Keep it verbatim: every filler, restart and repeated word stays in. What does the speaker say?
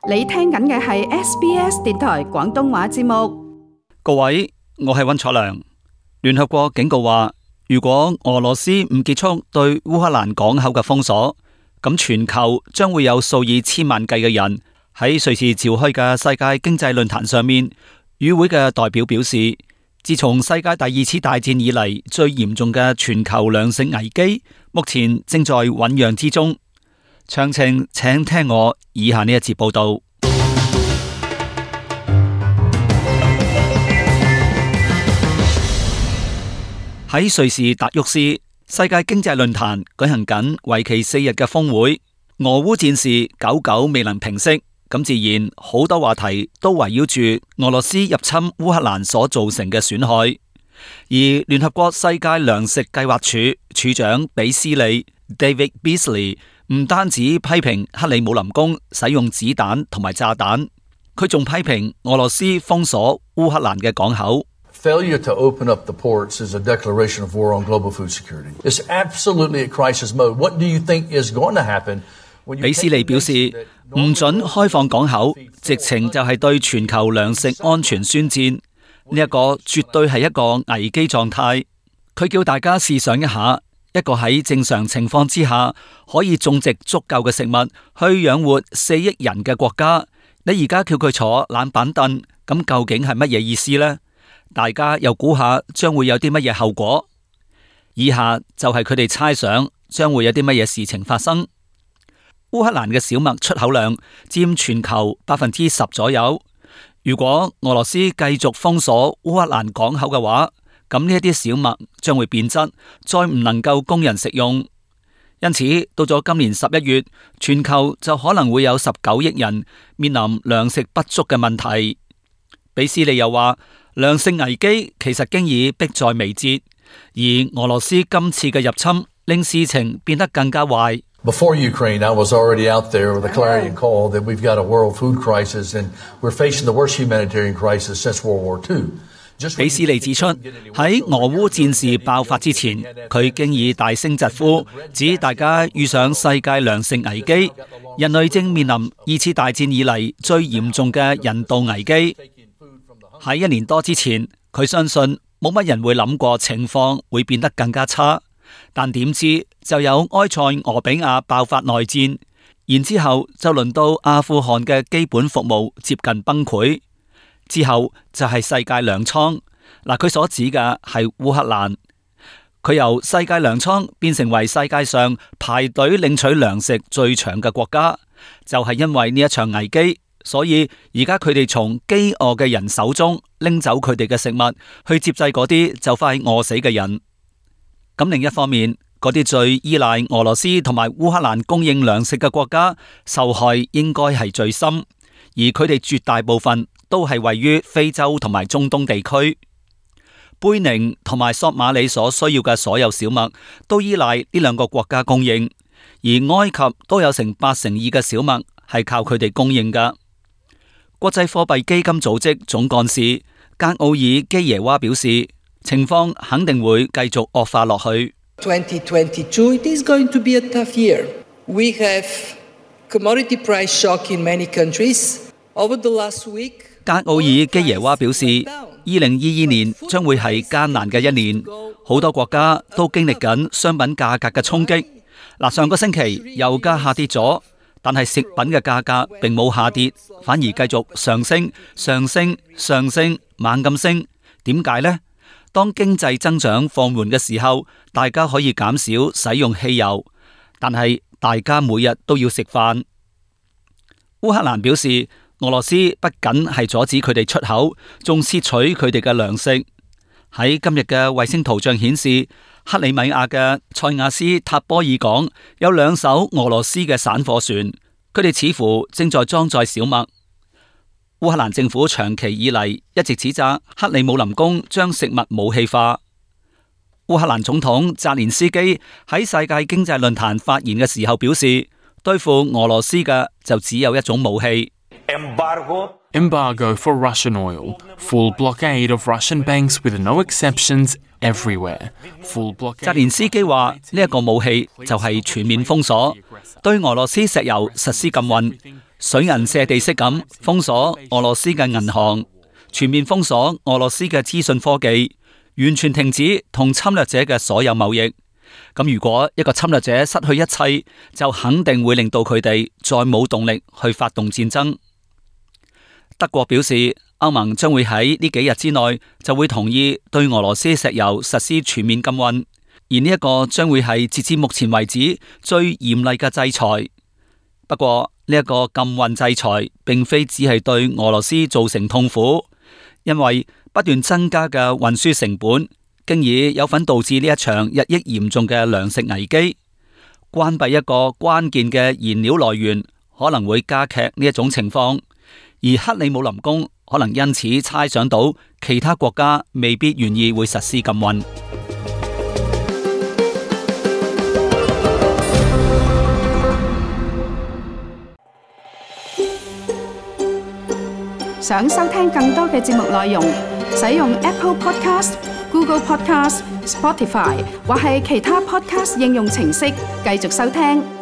你聽緊嘅係 S B S 電台廣東話節目。各位，我係溫楚良。聯合國警告話，如果俄羅斯唔結束對烏克蘭港口嘅封鎖，咁全球將會有數以千萬計嘅人喺瑞士召開嘅世界經濟論壇上面。與會嘅代表表示，自從世界第二次大戰以嚟最嚴重嘅全球糧食危機，目前正在醞釀之中。詳情請聽我以下呢一節報道。喺瑞士達沃斯，世界經濟論壇舉行緊為期四日嘅峰會，俄烏戰事久久未能平息，咁自然好多話題都圍繞住俄羅斯入侵烏克蘭所造成嘅損害。而聯合國世界糧食計劃署署長比斯利 David Beasley 唔單止批評克里姆林宮使用子彈同埋炸彈，佢仲批評俄羅斯封鎖烏克蘭嘅港口。Failure to open up the ports is a declaration of war on global food security. It's absolutely at crisis mode. What do you think is going to happen? 比斯利表示，唔准開放港口，直情就係對全球糧食安全宣戰。呢一個絕對係一個危機狀態。佢叫大家試想一下，一個喺正常情況之下可以種植足夠嘅食物去養活四億人嘅國家，你而家叫佢坐冷板凳，咁究竟係乜嘢意思呢？大家又估下將會有啲乜嘢後果？以下就係佢哋猜想將會有啲乜嘢事情發生。烏克蘭嘅小麥出口量佔全球百分之十左右。如果俄羅斯繼續封鎖烏克蘭港口嘅話，咁呢一啲小麥將會變質，再唔能夠供人食用。因此，到咗今年十一月，全球就可能會有十九億人面臨糧食不足嘅問題。比斯利又話，糧食危機其實經已迫在眉睫，而俄羅斯今次嘅入侵令事情變得更加壞。Before Ukraine, I was already out there with a clarion call that we've got a world food crisis and we're facing the worst humanitarian crisis since World War Two. 比斯利指出，喺俄烏戰事爆發之前，佢經已大聲疾呼，指大家遇上世界糧食危機，人類正面臨二次大戰以嚟最嚴重嘅人道危機。喺一年多之前，佢相信冇乜人會諗過情況會變得更加差，但點知就有埃塞俄比亞爆發內戰，然之後就輪到阿富汗嘅基本服務接近崩潰，之後就係世界糧倉。嗱，佢所指嘅係烏克蘭，佢由世界糧倉變成為世界上排隊領取糧食最長嘅國家，就係因為呢一場危機。所以而家佢哋從飢餓嘅人手中拎走佢哋嘅食物，去接濟嗰啲就快餓死嘅人。咁另一方面，嗰啲最依賴俄羅斯同埋烏克蘭供應糧食嘅國家，受害應該係最深，而佢哋絕大部分都係位於非洲同埋中東地區。貝寧同埋索馬里所需要嘅所有小麥都依賴呢兩個國家供應，而埃及都有成八成二嘅小麥係靠佢哋供應㗎。國際貨幣基金組織總幹事格奧爾基耶娃表示，情況肯定會繼續惡化落去。twenty twenty-two it is going to be a tough year. We have commodity price shock in many countries over the last week. 格奧爾基耶娃表示，二零二二年將會係艱難嘅一年，好多國家都經歷緊商品價格嘅衝擊。嗱，上個星期油價下跌咗。但係食品嘅價格並冇下跌，反而繼續上升、上升、上升，猛咁升。點解呢？當經濟增長放緩嘅時候，大家可以減少使用汽油，但係大家每日都要食飯。烏克蘭表示，俄羅斯不僅係阻止佢哋出口，仲竊取佢哋嘅糧食。喺今日嘅衛星圖像顯示，克里米亞嘅塞亞斯塔波爾港有兩艘俄羅斯嘅散貨船，佢哋似乎正在裝載小麥。烏克蘭政府長期以嚟一直指責克里姆林宮將食物武器化。烏克蘭總統澤連斯基喺世界經濟論壇發言嘅時候表示，對付俄羅斯嘅就只有一種武器。Embargo for Russian oil, full blockade of Russian banks with no exceptions everywhere. Full blockade. 澤連斯基話呢一個武器就係全面封鎖，對俄羅斯石油實施禁運，水銀瀉地式咁封鎖俄羅斯嘅銀行，全面封鎖俄羅斯嘅資訊科技，完全停止同侵略者嘅所有貿易。咁如果一個侵略者失去一切，就肯定會令到佢哋再冇動力去發動戰爭。德國表示，歐盟將會喺呢幾日之內就會同意對俄羅斯石油實施全面禁運，而呢一個將會係截至目前為止最嚴厲嘅制裁。不過呢一個禁運制裁並非只係對俄羅斯造成痛苦，因為不斷增加嘅運輸成本，經已有份導致呢一場日益嚴重嘅糧食危機。關閉一個關鍵嘅燃料來源，可能會加劇呢一種情況，而克里姆林宮可能因此猜想到其他國家未必願意會實施禁運。想收聽更多嘅節目內容，使用 Apple Podcast、Google Podcast、Spotify 或係其他 Podcast 應用程式繼續收聽。